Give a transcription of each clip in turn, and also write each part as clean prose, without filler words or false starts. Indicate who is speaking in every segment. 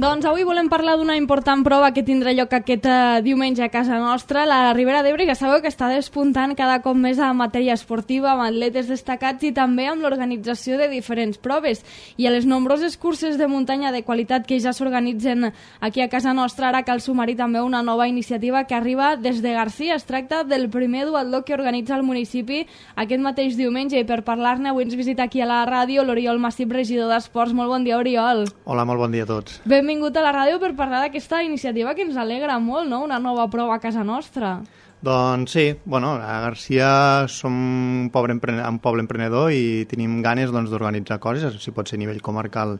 Speaker 1: Doncs avui volem parlar d'una important prova que tindrà lloc aquest diumenge a casa nostra, la Ribera d'Ebre, que sabeu que està despuntant cada cop més a matèria esportiva, amb atletes destacats i també amb l'organització de diferents proves. I a les nombroses curses de muntanya de qualitat que ja s'organitzen aquí a casa nostra, ara cal sumar-hi també una nova iniciativa que arriba des de Garcia. Es tracta del primer duatló que organitza el municipi aquest mateix diumenge, i per parlar-ne avui ens visita aquí a la ràdio l'Oriol Massip, regidor d'Esports. Molt bon dia, Oriol.
Speaker 2: Hola, molt bon dia a tots.
Speaker 1: Benvingut a la ràdio per parlar d'aquesta iniciativa que ens alegra molt, no? Una nova prova a casa nostra.
Speaker 2: Doncs sí, bueno, a Garcia som un poble emprenedor i tenim ganes d'organitzar coses, si pot ser a nivell comarcal,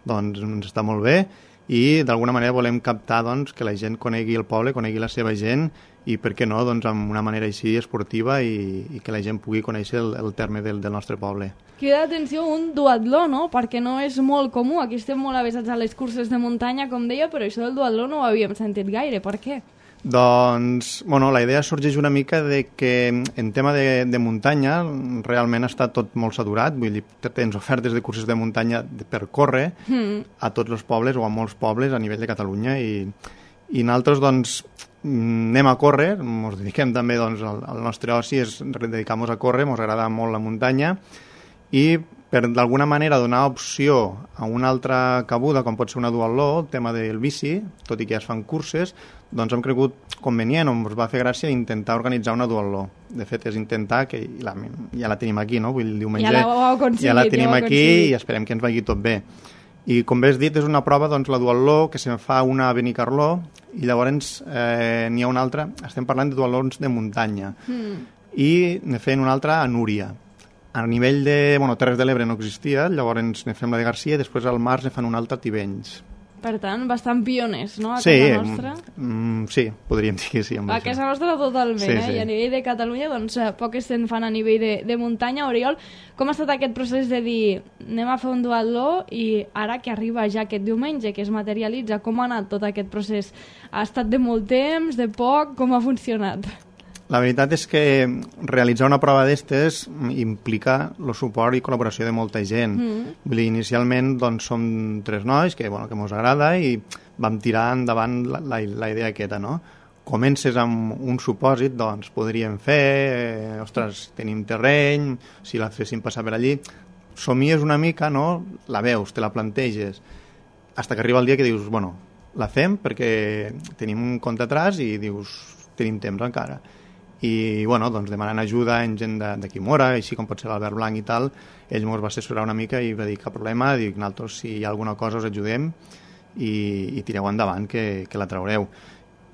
Speaker 2: doncs ens està molt bé, i d'alguna manera volem captar que la gent conegui el poble, conegui la seva gent, i per què no, amb una manera així esportiva i que la gent pugui conèixer el terme del nostre poble.
Speaker 1: Crida l'atenció un duatló, no? Perquè no és molt comú, aquí estem molt avesats a les curses de muntanya, com deia, però això del duatló no ho havíem sentit gaire, per què?
Speaker 2: Doncs, la idea sorgeix una mica de que en tema de muntanya realment està tot molt saturat, vull dir, tens ofertes de curses de muntanya per córrer a tots els pobles o a molts pobles a nivell de Catalunya i nosaltres, anem a córrer, ens dediquem també, al nostre oci és dedicar-nos a córrer, ens agrada molt la muntanya i per d'alguna manera donar opció a una altra cabuda, com pot ser una duatló, el tema del bici, tot i que ja es fan curses, doncs hem cregut convenient, ens va fer gràcia intentar organitzar una duatló. De fet, és intentar, que ja la tenim aquí, no? Vull dir, el diumenge ja la tenim aquí i esperem que ens vagi tot bé. I com bé has dit, és una prova, la duatló, que se'n fa una a Benicarló, i llavors n'hi ha una altra, estem parlant de duatlons de muntanya, i ne fem una altra a Núria. A nivell de Terres de l'Ebre no existia, llavors ne fem la de Garcia i després al març ne fan una altra a Tivenys.
Speaker 1: Per tant, bastant pioners, no?, a casa nostra.
Speaker 2: Sí, podríem dir que sí.
Speaker 1: A casa nostra totalment,
Speaker 2: sí.
Speaker 1: I a nivell de Catalunya, poques se'n fan a nivell de muntanya. Oriol, com ha estat aquest procés de dir anem a fer un duatló i ara que arriba ja aquest diumenge, que es materialitza, com ha anat tot aquest procés? Ha estat de molt temps, de poc? Com ha funcionat?
Speaker 2: La veritat és que realitzar una prova d'estes implica el suport i col·laboració de molta gent. Vull dir, inicialment som 3 nois que ens agrada i vam tirar endavant la idea aquesta, no? Comences amb un supòsit, podríem fer, tenim terreny, si la féssim passar per allí, somies una mica, no? La veus, te la planteges, fins que arriba el dia que dius, la fem perquè tenim un compte atràs i dius, tenim temps encara. I demanant ajuda en gent d'aquí Mora, així com pot ser l'Albert Blanc i tal, ell ens va assessorar una mica i va dir cap problema, dic, nosaltres si hi ha alguna cosa us ajudem i tireu endavant que la traureu.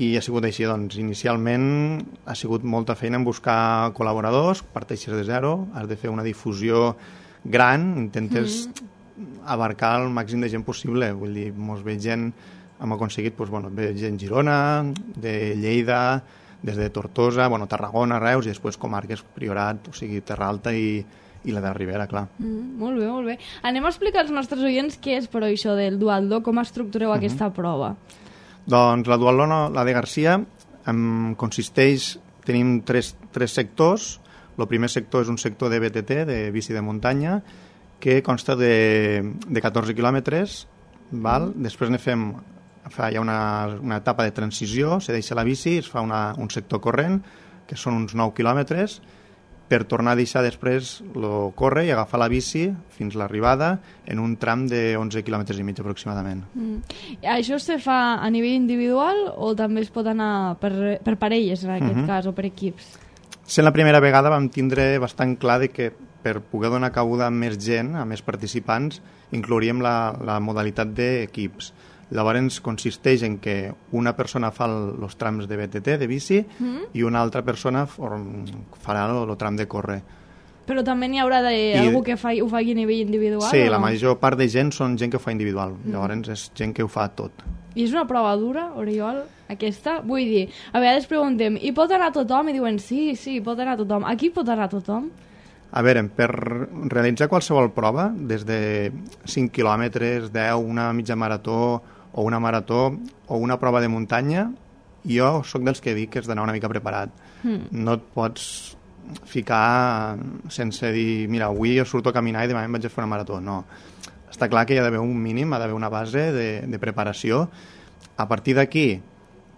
Speaker 2: I ha sigut així, inicialment ha sigut molta feina en buscar col·laboradors, parteixes de zero, has de fer una difusió gran, intentes abarcar el màxim de gent possible, vull dir, mos ve gent, hem aconseguit, ve gent Girona, de Lleida, des de Tortosa, Tarragona, Reus i després comarques Priorat, o sigui, Terra Alta i la de Ribera, clar.
Speaker 1: Molt bé, molt bé. Anem a explicar als nostres oients què és, però, això del duatló, com estructureu aquesta prova.
Speaker 2: Doncs la duatló, la de Garcia, consisteix, tenim tres sectors. El primer sector és un sector de BTT, de bici de muntanya, que consta de 14 quilòmetres, després ne fem... Hi ha una etapa de transició, se deixa la bici, es fa un sector corrent, que són uns 9 quilòmetres, per tornar a deixar després el córrer i agafar la bici fins a l'arribada en un tram de 11 quilòmetres i mig aproximadament.
Speaker 1: Això se fa a nivell individual o també es pot anar per parelles, en aquest cas, o per equips?
Speaker 2: Sent la primera vegada vam tindre bastant clar que per poder donar cabuda a més gent, a més participants, inclouríem la modalitat d'equips. Llavors consisteix en que una persona fa els trams de BTT, de bici, i una altra persona farà el tram de córrer.
Speaker 1: Però també n'hi haurà algú que ho faci a nivell individual?
Speaker 2: Sí, la major part de gent són gent que ho fa individual. Llavors és gent que ho fa tot.
Speaker 1: I és una prova dura, Oriol, aquesta? Vull dir, a vegades preguntem, hi pot anar tothom? I diuen, sí, pot anar tothom. Aquí pot anar tothom?
Speaker 2: A veure, per realitzar qualsevol prova, des de 5 quilòmetres, 10, una mitja marató o una marató o una prova de muntanya, jo sóc dels que dic que has d'anar una mica preparat. No et pots ficar sense dir, mira, avui jo surto a caminar i demà em vaig a fer una marató. No. està clar que hi ha d'haver un mínim, ha d'haver una base de preparació. A partir d'aquí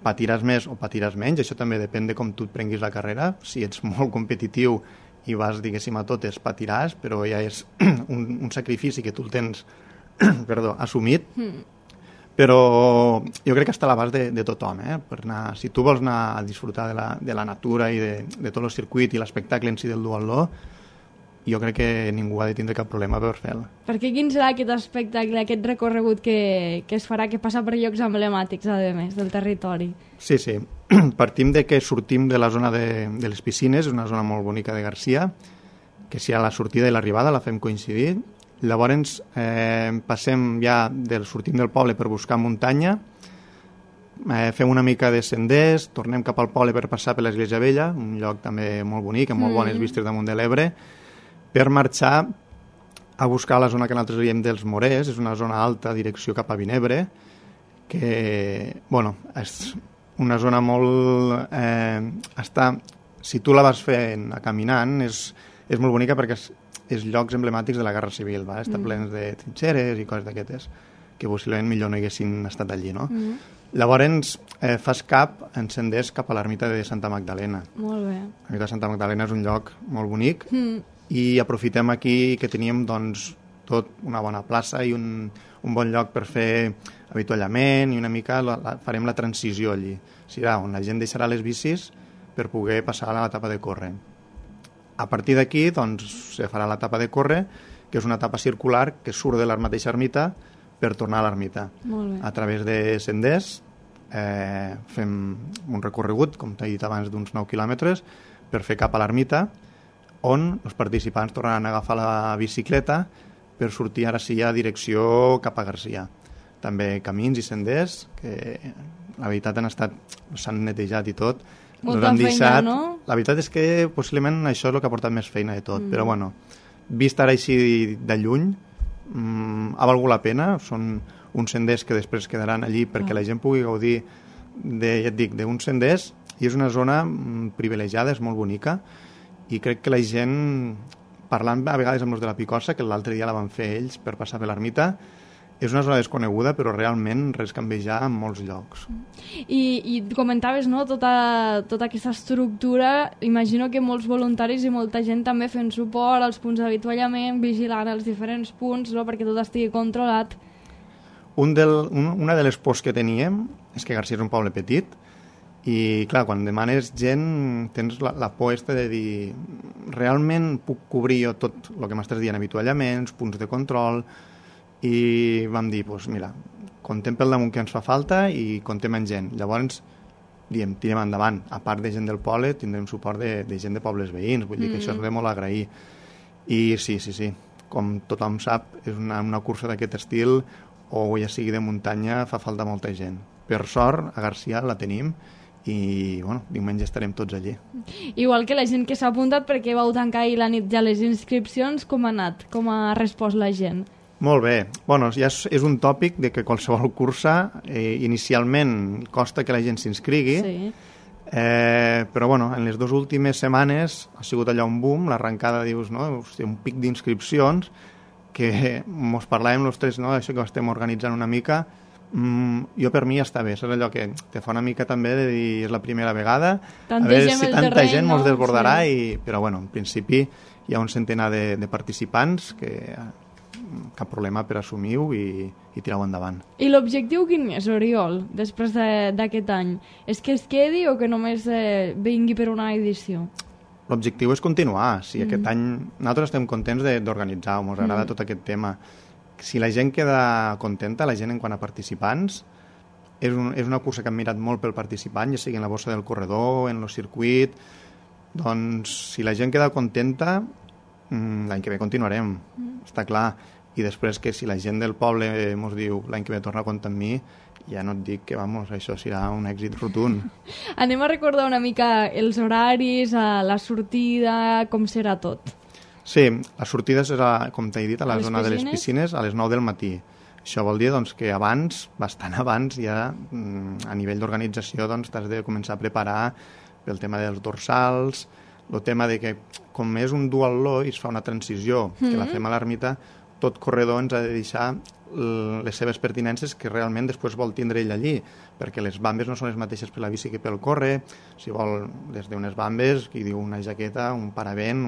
Speaker 2: patiràs més o patiràs menys, això també depèn de com tu et prenguis la carrera. Si ets molt competitiu i vas, diguéssim, a totes, patiràs, però ja és un sacrifici que tu el tens assumit. Però jo crec que està a l'abast de tothom, per anar, si tu vols anar a disfrutar de la natura i de tot el circuit i l'espectacle en si del duatló, jo crec que ningú ha de tindre cap problema per fer-lo.
Speaker 1: Perquè quin serà aquest espectacle, aquest recorregut que es farà, que passa per llocs emblemàtics, a més, del territori?
Speaker 2: Sí. Partim de que sortim de la zona de les piscines, una zona molt bonica de Garcia, que si a la sortida i l'arribada la fem coincidir. Llavors passem ja sortim del poble per buscar muntanya, fem una mica de senders, tornem cap al poble per passar per l'Església Vella, un lloc també molt bonic, amb molt bones vistes damunt de l'Ebre, per marxar a buscar la zona que nosaltres diem dels Morers, és una zona alta, direcció cap a Vinebre, que, és una zona molt... si tu la vas fent caminant, és molt bonica perquè és llocs emblemàtics de la Guerra Civil, està plens de trinxeres i coses d'aquestes, que possiblement millor no haguessin estat allí, no? Llavors fas en senders cap a l'ermita de Santa Magdalena.
Speaker 1: Molt bé.
Speaker 2: L'ermita de Santa Magdalena és un lloc molt bonic i aprofitem aquí que teníem tot una bona plaça i un bon lloc per fer avituallament i una mica farem la transició allí. Serà on la gent deixarà les bicis per poder passar a l'etapa de córrer. A partir d'aquí, se farà l'etapa de córrer, que és una etapa circular que surt de la mateixa ermita per tornar a l'ermita. A través de senders fem un recorregut, com t'he dit abans, d'uns 9 quilòmetres per fer cap a l'ermita, on els participants tornaran a agafar la bicicleta per sortir ara sí a direcció cap a Garcia. També camins i senders que la veritat s'han netejat i tot.
Speaker 1: Molta feina, no?
Speaker 2: La veritat és que possiblement això és el que ha portat més feina de tot, però vist ara així de lluny ha valgut la pena. Són uns senders que després quedaran allí perquè la gent pugui gaudir d'uns senders, i és una zona privilegiada, és molt bonica, i crec que la gent, parlant a vegades amb els de la Picossa, que l'altre dia la van fer ells per passar per l'ermita, és una zona desconeguda, però realment res canvia en molts llocs.
Speaker 1: I comentaves, no?, tota aquesta estructura. Imagino que molts voluntaris i molta gent també fent suport als punts d'avituallament, vigilant els diferents punts, no?, perquè tot estigui controlat.
Speaker 2: Una de les pors que teníem és que Garcia és un poble petit i, clar, quan demanes gent tens la por de dir realment puc cobrir jo tot el que m'estàs dient, avituallaments, punts de control, i vam dir, mira, contem pel damunt que ens fa falta i contem amb gent. Llavors, tirem endavant. A part de gent del poble, tindrem suport de gent de pobles veïns, vull dir que això és de molt agrair. I sí, com tothom sap, és una cursa d'aquest estil, o ja sigui de muntanya, fa falta molta gent. Per sort, a Garcia la tenim, i diumenge estarem tots allí.
Speaker 1: Igual que la gent que s'ha apuntat, perquè vau tancar ahir la nit ja les inscripcions, com ha anat? Com ha respost la gent?
Speaker 2: Molt bé. Ja és un tòpic de que qualsevol cursa inicialment costa que la gent s'inscrigui, però en les 2 últimes setmanes ha sigut allà un boom, l'arrencada, dius, un pic d'inscripcions, que mos parlàvem els tres, això que ho estem organitzant una mica. Jo per mi ja està bé, és allò que te fa una mica també de dir és la primera vegada, a veure si tanta gent mos desbordarà, però en principi hi ha un centenar de participants que cap problema per assumir-ho i tirar-ho endavant.
Speaker 1: I l'objectiu quin és, Oriol, després d'aquest any? És que es quedi o que només vingui per una edició?
Speaker 2: L'objectiu és continuar. Aquest any nosaltres estem contents d'organitzar-ho, ens agrada tot aquest tema. Si la gent queda contenta, la gent en quant a participants, és una cursa que hem mirat molt pel participant, ja sigui en la bossa del corredor, en el circuit, doncs si la gent queda contenta, l'any que ve continuarem, està clar. I després que si la gent del poble ens diu l'any que ve torna a comptar amb mi, ja no et dic que això serà un èxit rotund.
Speaker 1: Anem a recordar una mica els horaris, la sortida, com serà tot.
Speaker 2: Sí, la sortida serà, com t'he dit, a la zona de les piscines a les 9 del matí. Això vol dir que abans, bastant abans, ja a nivell d'organització t'has de començar a preparar pel tema dels dorsals, el tema de que com és un duatló i es fa una transició, que la fem a l'ermita, tot corredor ens ha de deixar les seves pertinences que realment després vol tindre ell allí, perquè les bambes no són les mateixes per la bici que pel córrer. Si vol, des d'unes bambes, qui diu una jaqueta, un paravent,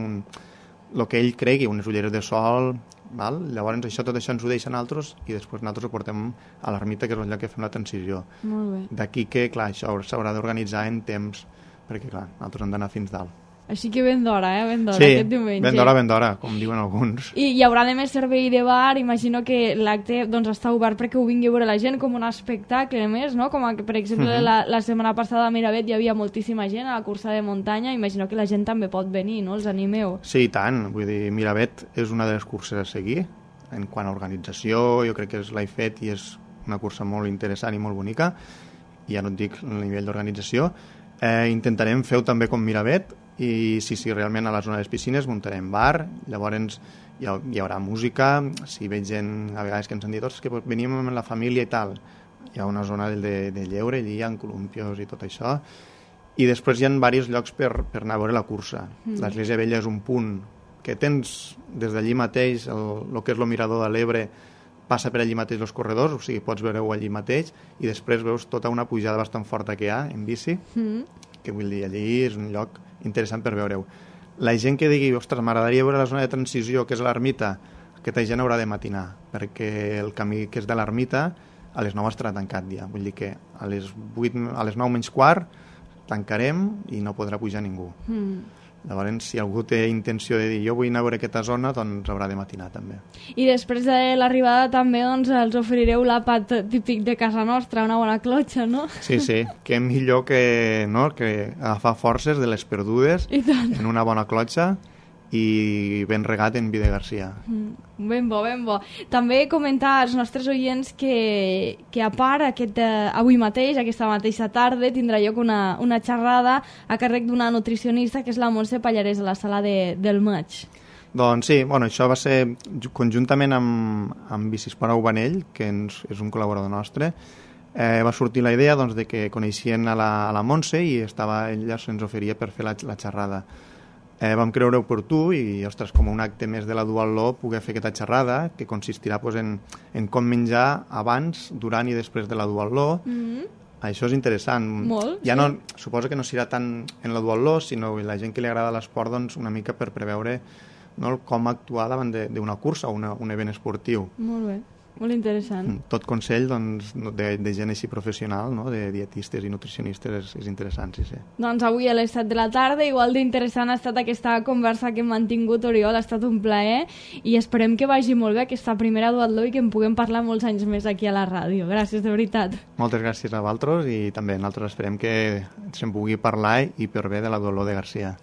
Speaker 2: el que ell cregui, unes ulleres de sol, val? Llavors tot això ens ho deixen altres i després nosaltres ho portem a l'ermita, que és el lloc que fem la transició.
Speaker 1: Molt bé.
Speaker 2: D'aquí que, clar, això s'haurà d'organitzar en temps, perquè, clar, nosaltres hem d'anar fins dalt.
Speaker 1: Així que ben d'hora, ben d'hora,
Speaker 2: sí,
Speaker 1: aquest diumenge.
Speaker 2: ben d'hora, com diuen alguns.
Speaker 1: I hi haurà de més servei de bar, imagino que l'acte doncs, està obert perquè ho vingui a veure la gent com un espectacle més, no? Com que, per exemple, la setmana passada a Miravet hi havia moltíssima gent a la cursa de muntanya, imagino que la gent també pot venir, no? Els animeu.
Speaker 2: Sí, i tant, vull dir, Miravet és una de les curses a seguir, en quant a organització, jo crec que l'he fet i és una cursa molt interessant i molt bonica, i ja no et dic el nivell d'organització. Intentarem fer-ho també com Miravet, i sí, realment a la zona de les piscines muntarem bar, llavors hi haurà música, si veig gent a vegades que ens han dit que venim amb la família i tal, hi ha una zona de lleure allí, hi ha columpios i tot això, i després hi ha diversos llocs per anar a veure la cursa. L'Església Vella és un punt que tens des d'allí mateix, el que és el mirador de l'Ebre passa per allí mateix els corredors, o sigui, pots veure-ho allí mateix, i després veus tota una pujada bastant forta que hi ha en bici, que vull dir, allí és un lloc interessant per veure-ho. La gent que digui, ostres, m'agradaria veure la zona de transició, que és l'ermita, aquesta gent haurà de matinar, perquè el camí que és de l'ermita a les 9 estarà tancat ja. Vull dir que a les 9 menys quart tancarem i no podrà pujar ningú. Llavors, si algú té intenció de dir jo vull anar a veure aquesta zona, doncs haurà de matinar també.
Speaker 1: I després de l'arribada també doncs, els oferireu l'àpat típic de casa nostra, una bona clotxa, no?
Speaker 2: Sí, que millor que agafar forces de les perdudes en una bona clotxa i ben regat en vi de Garcia.
Speaker 1: Ben bo. També comentar als nostres oients que a part avui mateix, aquesta mateixa tarda, tindrà lloc una xerrada a càrrec d'una nutricionista que és la Montse Pallarès a la sala del Maig.
Speaker 2: Doncs sí, això va ser conjuntament amb Bicisport Aubanell, que és un col·laborador nostre. Va sortir la idea de que coneixien a la Montse i ella se'ns oferia per fer la xerrada. Vam creure oportú i, ostres, com un acte més de la Duatló poder fer aquesta xerrada que consistirà en com menjar abans, durant i després de la Duatló. Això és interessant.
Speaker 1: Molt,
Speaker 2: ja no, suposo que no serà tant en la Duatló, sinó la gent que li agrada l'esport una mica per preveure com actuar davant d'una cursa o un event esportiu.
Speaker 1: Molt bé. Molt interessant.
Speaker 2: Tot consell de gent així professional, de dietistes i nutricionistes, és interessant, sí.
Speaker 1: Doncs avui a les 7 de la tarda, igual d'interessant ha estat aquesta conversa que hem mantingut, Oriol, ha estat un plaer i esperem que vagi molt bé aquesta primera Duatló i que en puguem parlar molts anys més aquí a la ràdio. Gràcies, de veritat.
Speaker 2: Moltes gràcies a vosaltres i també nosaltres esperem que se'n pugui parlar i per bé de la Duatló de Garcia.